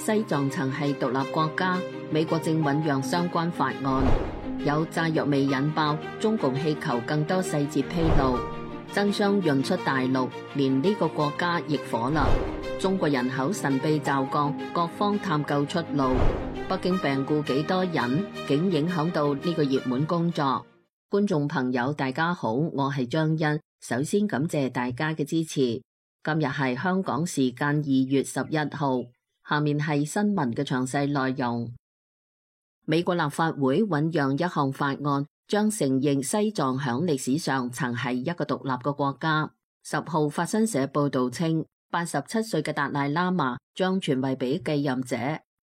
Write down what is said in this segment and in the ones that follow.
西藏曾係獨立國家，美國正醞釀相關法案。有炸藥味引爆，中共氣球更多細節披露，爭相潤出大陸，連呢個國家亦火啦。中國人口神秘驟降，各方探究出路。北京病故幾多人，竟影響到呢個熱門工作。觀眾朋友大家好，我係張欣，首先感謝大家嘅支持。今日係香港時間2月11號，下面係新聞嘅詳細內容。美國立法會醞釀一項法案，將承認西藏響歷史上曾係一個獨立嘅國家。10號法新社報道稱，87歲嘅達賴喇嘛將傳位俾繼任者。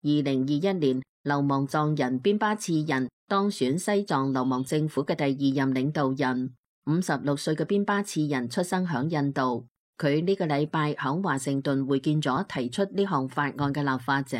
2021年，流亡藏人邊巴次仁當選西藏流亡政府嘅第2任領導人。56歲嘅邊巴次仁出生響印度，佢呢個禮拜響華盛頓會見咗提出呢項法案嘅立法者。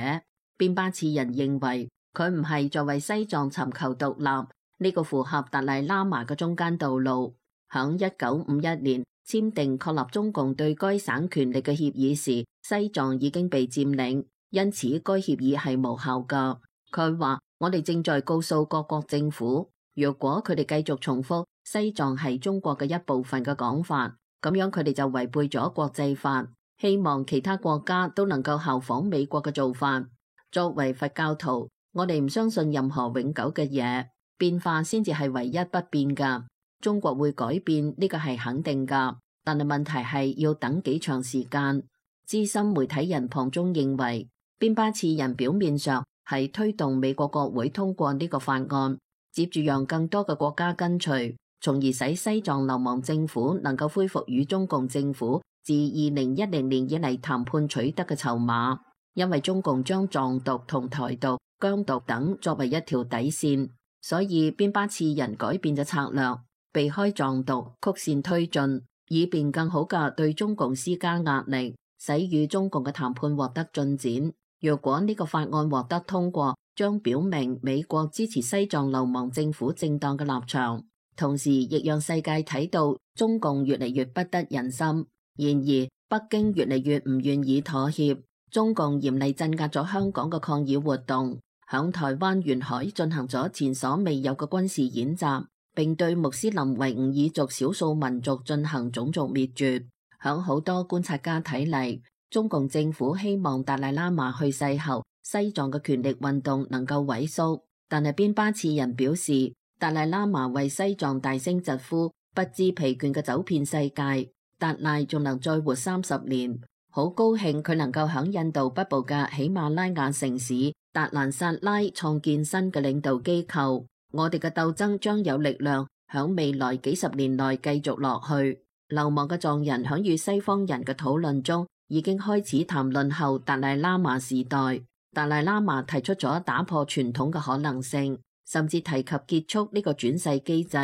邊巴次仁認為，佢唔係在為西藏尋求獨立，呢個符合達賴喇嘛嘅中間道路。響1951年簽訂確立中共對該省權力嘅協議時，西藏已經被佔領，因此該協議係無效㗎。佢話：我哋正在告訴各國政府，若果佢哋繼續重複西藏係中國嘅一部分嘅講法，咁樣佢哋就違背咗國際法。希望其他國家都能夠效仿美國嘅做法。作為佛教徒，我哋唔相信任何永久嘅嘢，變化先至係唯一不變噶。中國會改變，呢個係肯定噶，但係問題係要等幾長時間。資深媒體人龐中認為，邊巴次仁表面上係推動美國國會通過呢個法案，接住讓更多嘅國家跟隨，從而使西藏流亡政府能夠恢復與中共政府自2010年以嚟談判取得嘅籌碼。因為中共將藏獨同台獨、疆獨等作為一條底線，所以邊巴次仁改變咗策略，避開藏獨，曲線推進，以便更好嘅對中共施加壓力，使與中共嘅談判獲得進展。若果呢個法案獲得通過，將表明美國支持西藏流亡政府正當嘅立場，同時亦讓世界睇到中共越嚟越不得人心。然而，北京越嚟越唔願意妥協。中共嚴厲鎮壓咗香港嘅抗議活動，響台灣沿海進行咗前所未有嘅軍事演習，並對穆斯林維吾爾族少數民族進行種族滅絕。響好多觀察家睇嚟，中共政府希望達賴喇嘛去世後，西藏嘅權力運動能夠萎縮。但係邊巴次仁表示，達賴喇嘛為西藏大聲疾呼，不知疲倦嘅走遍世界，達賴仲能再活30年。好高興佢能夠響印度北部嘅喜馬拉雅城市達蘭薩拉創建新嘅領導機構。我哋嘅鬥爭將有力量響未來幾十年內繼續落去。流亡嘅藏人響與西方人嘅討論中已經開始談論後達賴喇嘛時代。達賴喇嘛提出咗打破傳統嘅可能性，甚至提及結束呢個轉世機制。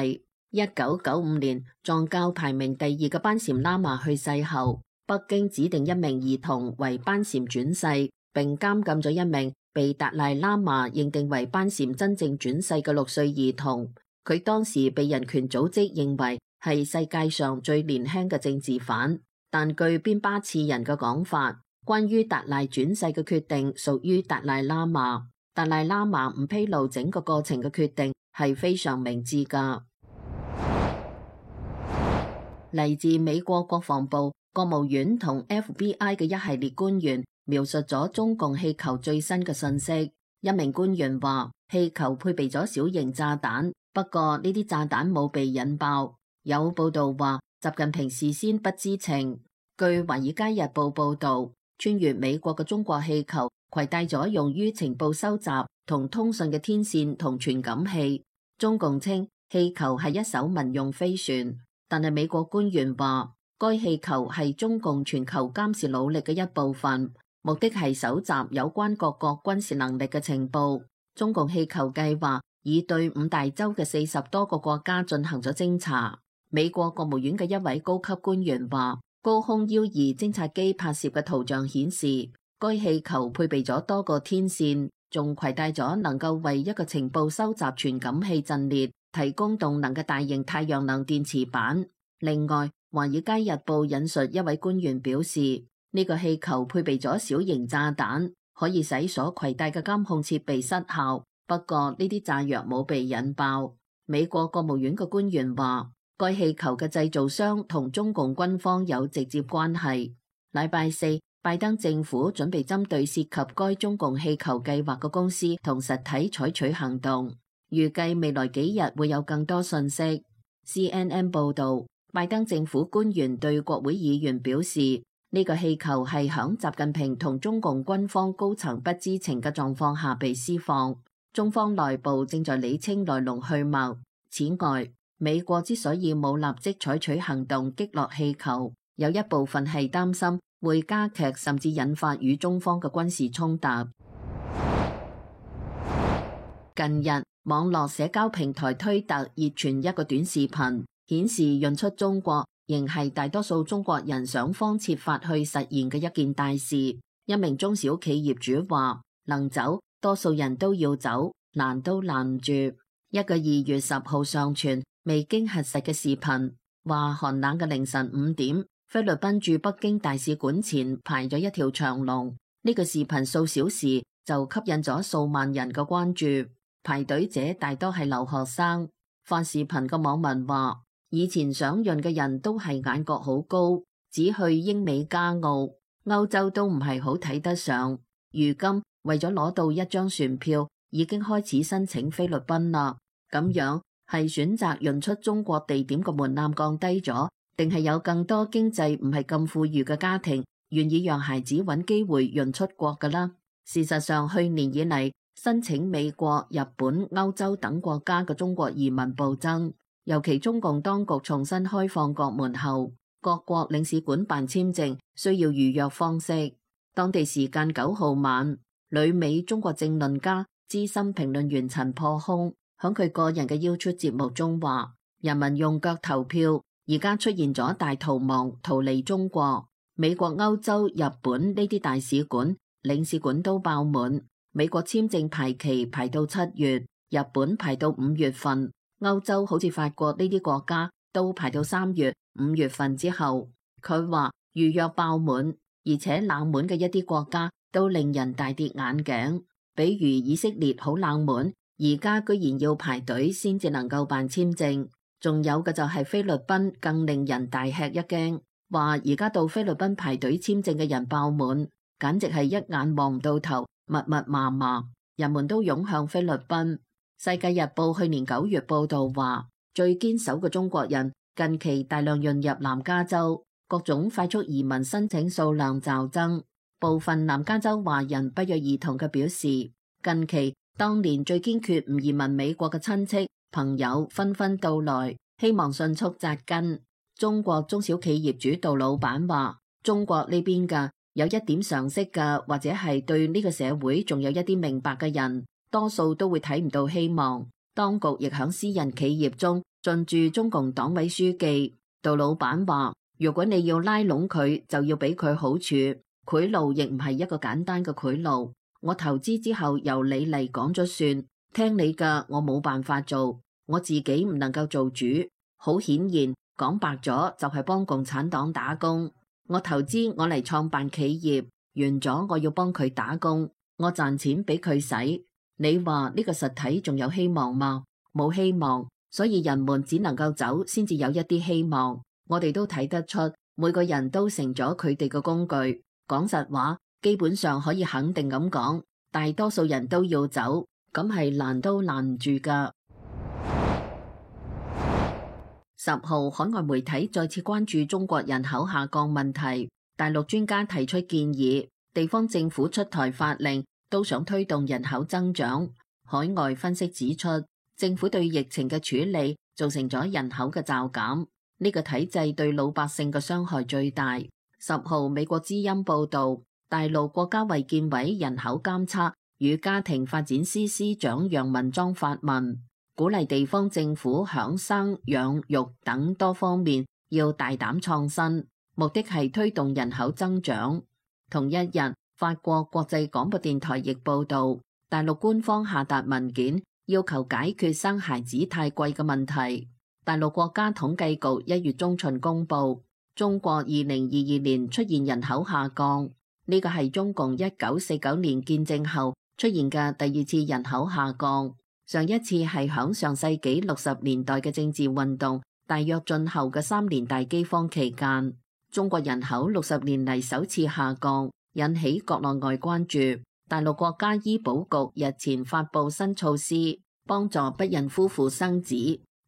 1995年，藏教排名第2嘅班禪喇嘛去世後，北京指定一名兒童為班禪轉世，並監禁咗一名被達賴喇嘛認定為班禪真正轉世嘅6歲兒童。佢當時被人權組織認為係世界上最年輕嘅政治犯。但據邊巴次仁嘅講法，關於達賴轉世嘅決定屬於達賴喇嘛。達賴喇嘛唔披露整個過程嘅決定係非常明智㗎。嚟自美國國防部、國務院同 FBI 嘅一系列官員描述咗中共氣球最新嘅信息。一名官員話，氣球配備咗小型炸彈，不過呢啲炸彈冇被引爆。有報道話，習近平事先不知情。據《華爾街日報》報道，穿越美國嘅中國氣球攜帶咗用於情報收集同通訊嘅天線同傳感器。中共稱氣球係一艘民用飛船，但係美國官員話，該氣球係中共全球監視努力嘅一部分，目的係搜集有關各國軍事能力嘅情報。中共氣球計劃已對5大洲嘅40多個國家進行咗偵查。美國國務院嘅一位高級官員話，高空腰儀偵察機拍攝嘅圖像顯示，該氣球配備咗多個天線，仲攜帶咗能夠為一個情報收集傳感器陣列提供動能嘅大型太陽能電池板。另外，《華爾街日報》引述一位官員表示，呢個氣球配備咗小型炸彈，可以使所攜帶嘅監控設備失效。不過呢啲炸藥冇被引爆。美國國務院嘅官員話，該氣球嘅製造商同中共軍方有直接關係。禮拜四，拜登政府準備針對涉及該中共氣球計劃嘅公司同實體採取行動，預計未來幾日會有更多信息。CNN 報導，拜登政府官員對國會議員表示，呢個氣球係響習近平同中共軍方高層不知情嘅狀況下被施放，中方內部正在理清來龍去脈。此外，美國之所以冇立即採取行動擊落氣球，有一部分係擔心會加劇甚至引發與中方嘅軍事衝突。近日，網絡社交平台推特熱傳一個短視頻，顯示潤出中國仍係大多數中國人想方設法去實現嘅一件大事。一名中小企業主話：能走，多數人都要走，攔都攔唔住。一個2月10號上傳未經核實嘅視頻，話寒冷嘅凌晨5點，菲律賓駐北京大使館前排咗一條長龍。呢個視頻數小時就吸引咗數萬人嘅關注，排隊者大多係留學生。發視頻嘅網民話：以前想潤嘅人都係眼角好高，只去英美加澳，歐洲都唔係好睇得上。如今為咗攞到一張船票，已經開始申請菲律賓啦。咁樣係選擇潤出中國地點嘅門檻降低咗，定係有更多經濟唔係咁富裕嘅家庭願意讓孩子揾機會潤出國㗎啦？事實上，去年以嚟申請美國、日本、歐洲等國家嘅中國移民暴增，尤其中共當局重新開放國門後，各國領事館辦簽證需要預約方式。當地時間9號晚，旅美中國政論家、資深評論員陳破空響佢個人嘅 YouTube 節目中話：人民用腳投票，而家出現咗大逃亡，逃離中國。美國、歐洲、日本呢啲大使館、領事館都爆滿。美國簽證排期排到7月，日本排到5月份，歐洲好似法國呢啲國家都排到3月、5月份之後。佢話預約爆滿，而且冷門嘅一啲國家都令人大跌眼鏡，比如以色列好冷門。而家居然要排隊先至能夠辦簽證，仲有嘅就係菲律賓更令人大吃一驚，話而家到菲律賓排隊簽證嘅人爆滿，簡直係一眼望唔到頭，密密麻麻，人們都湧向菲律賓。世界日報去年9月報道話，最堅守嘅中國人近期大量湧入南加州，各種快速移民申請數量驟增。部分南加州華人不約而同嘅表示，近期當年最堅決唔移民美國嘅親戚朋友紛紛到來，希望迅速紮根。中國中小企業主杜老闆話：中國呢邊嘅有一點常識嘅，或者係對呢個社會仲有一啲明白嘅人，多數都會睇唔到希望。當局亦響私人企業中進駐中共黨委書記。杜老闆話：如果你要拉攏佢，就要俾佢好處，賄賂亦唔係一個簡單嘅賄賂。我投資之後由你嚟講咗算，聽你嘅我冇辦法做，我自己唔能夠做主。好顯然，講白咗就係幫共產黨打工。我投資我嚟創辦企業，完咗我要幫佢打工，我賺錢俾佢使。你話呢個實體仲有希望嗎？冇希望，所以人們只能夠走先至有一啲希望。我哋都睇得出，每個人都成咗佢哋嘅工具。講實話，基本上可以肯定咁講，大多數人都要走，咁係攔都攔唔住㗎。10號，海外媒體再次關注中國人口下降問題。大陸專家提出建議，地方政府出台法令，都想推動人口增長。海外分析指出，政府對疫情嘅處理造成咗人口嘅驟減，呢個體制對老百姓嘅傷害最大。10號，美國之音報導。大陸國家衛健委人口監測與家庭發展司司長楊文莊發文，鼓勵地方政府響生養育等多方面要大膽創新，目的係推動人口增長。同一日，法國國際廣播電台亦報導，大陸官方下達文件，要求解決生孩子太貴嘅問題。大陸國家統計局1月中旬公佈，中國2022年出現人口下降。呢個係中共1949年建政後出現嘅第二次人口下降。上一次係響上世紀60年代嘅政治運動大躍進後嘅3年大饑荒期間，中國人口60年嚟首次下降，引起國內外關注。大陸國家醫保局日前發布新措施，幫助不孕夫婦生子。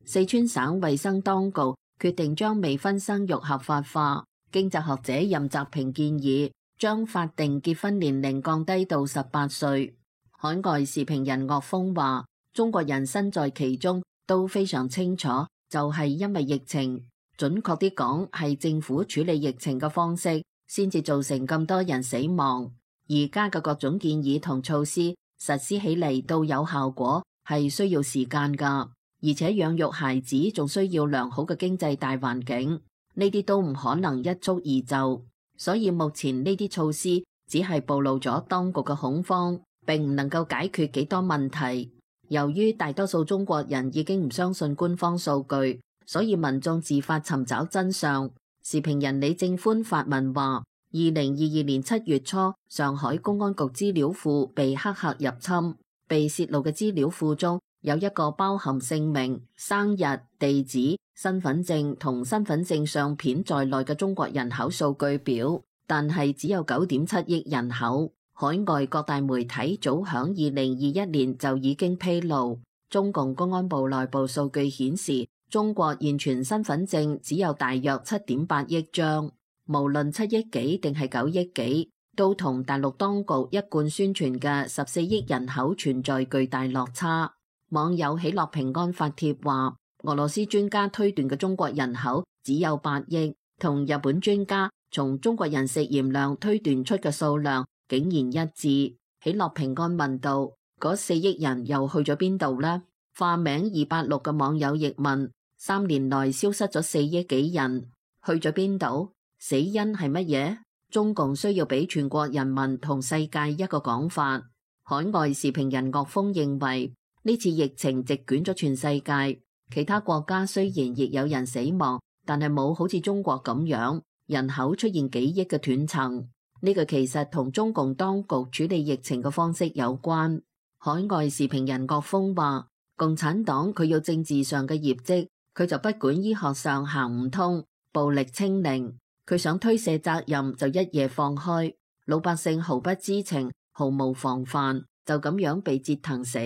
四川省衛生當局決定將未婚生育合法化。經濟學者任澤平建議將法定結婚年齡降低到18歲。海外時評人岳峰話，中國人身在其中都非常清楚，就係因為疫情，準確啲講係政府處理疫情嘅方式，先至造成咁多人死亡。而家嘅各種建議同措施實施起嚟到有效果，係需要時間㗎。而且養育孩子仲需要良好嘅經濟大環境，呢啲都唔可能一蹴而就。所以目前呢啲措施只係暴露咗當局嘅恐慌，並唔能夠解決幾多問題。由於大多數中國人已經唔相信官方數據，所以民眾自發尋找真相。時評人李正歡發文話，2022年7月初，上海公安局資料庫被黑客入侵，被泄露嘅資料庫中有一個包含姓名、生日、地址、身份證同身份證相片在內嘅中國人口數據表，但係只有9.7億人口。海外各大媒體早響2021年就已經披露，中共公安部內部數據顯示，中國現存身份證只有大約7.8億張，無論7億幾定係9億幾，都同大陸當局一貫宣傳嘅14億人口存在巨大落差。網友喜樂平安發帖話，俄羅斯專家推斷嘅中國人口只有8億，同日本專家從中國人食鹽量推斷出嘅數量竟然一致。喜樂平安問道：嗰4億人又去咗邊度呢？化名286嘅網友亦問：3年內消失咗4億幾人，去咗邊度？死因係乜嘢？中共需要俾全國人民同世界一個講法。海外時評人岳峰認為，呢次疫情席捲咗全世界，其他國家雖然亦有人死亡，但係冇好似中國咁樣人口出現幾億嘅斷層。呢個其實同中共當局處理疫情嘅方式有關。海外時評人岳峰話，共產黨佢要政治上嘅業績，佢就不管醫學上行唔通，暴力清零，佢想推卸責任就一夜放開，老百姓毫不知情，毫無防範，就咁樣被折騰死。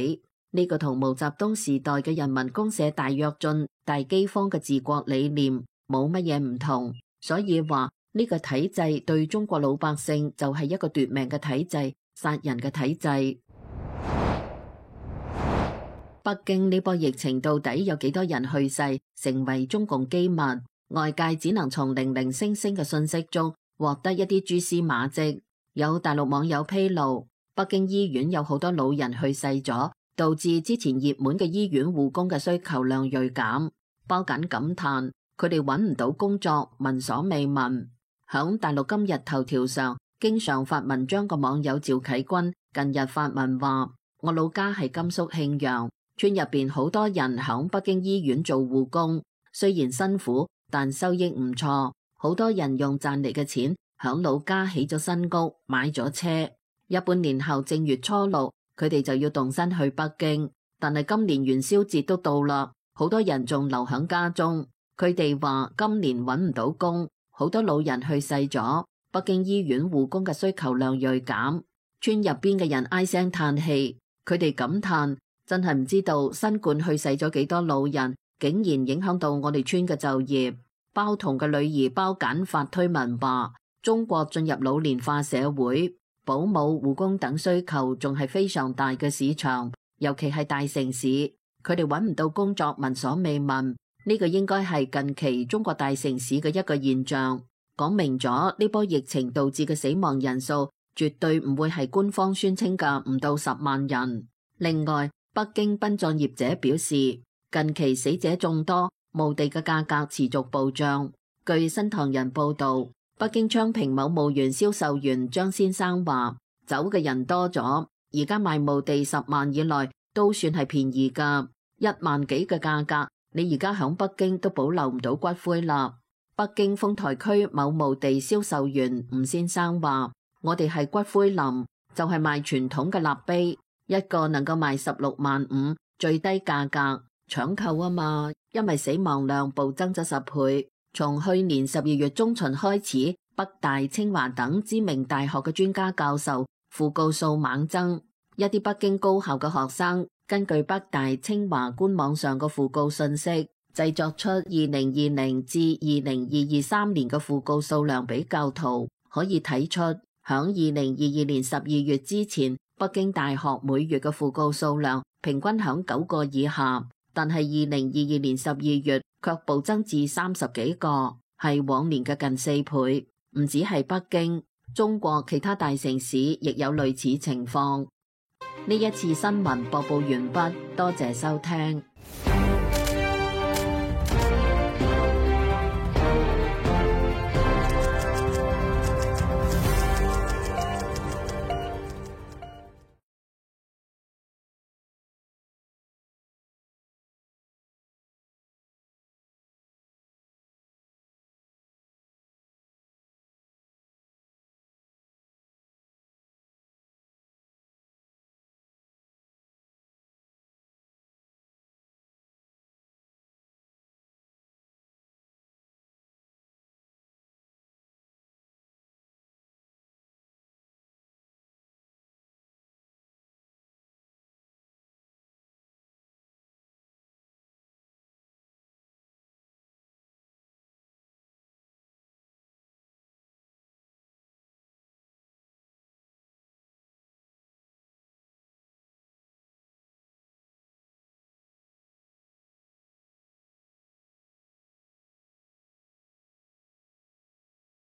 呢個同毛澤東時代嘅人民公社大躍進、大饑荒嘅治國理念冇乜嘢唔同，所以話呢個體制對中國老百姓就係一個奪命嘅體制、殺人嘅體制。北京呢波疫情到底有幾多人去世，成為中共機密，外界只能從零零星星嘅信息中獲得一啲蛛絲馬跡。有大陸網友披露，北京醫院有好多老人去世咗，導致之前熱門嘅醫院護工嘅需求量銳減。包緊感嘆，佢哋揾唔到工作，聞所未聞。響大陸今日頭條上，經常發文章嘅網友趙啟軍近日發文話：我老家係甘肅慶陽，村入邊好多人響北京醫院做護工，雖然辛苦，但收益唔錯。好多人用賺嚟嘅錢響老家起咗新屋，買咗車。一般年後正月初6，佢哋就要動身去北京，但係今年元宵節都到啦，好多人仲留響家中。佢哋話今年揾唔到工，好多老人去世咗，北京醫院護工嘅需求量銳減。村入邊嘅人唉聲嘆氣，佢哋感嘆真係唔知道新冠去世咗幾多老人，竟然影響到我哋村嘅就業。包同嘅女兒包簡發推文話，中國進入老年化社會，保姆、護工等需求仲係非常大嘅市場，尤其係大城市，佢哋揾唔到工作，聞所未聞。呢個應該係近期中國大城市嘅一個現象，講明咗呢波疫情導致嘅死亡人數絕對唔會係官方宣稱嘅唔到10萬人。另外，北京殯葬業者表示，近期死者眾多，墓地嘅價格持續暴漲。據新唐人報道，北京昌平某墓園銷售員張先生話，走嘅人多咗，而家賣墓地10萬以內都算係便宜㗎，1萬幾嘅價格，你而家響北京都保留唔到骨灰啦。北京豐台區某墓地銷售員吳先生話，我哋係骨灰林，就係賣傳統嘅立碑，一個能夠賣16.5萬，最低價格搶購啊嘛，因為死亡量暴增咗10倍。從去年12月中旬開始，北大、清華等知名大學嘅專家教授訃告數猛增，一啲北京高校嘅學生根據北大、清華官網上嘅訃告信息，製作出2020至2023年嘅訃告數量比較圖，可以睇出響2022年12月之前，北京大學每月嘅訃告數量平均響9個以下，但係2022年12月卻暴增至30幾個，係往年嘅近4倍。唔止係北京，中國其他大城市亦有類似情況。呢一次新聞播報完畢，多謝收聽。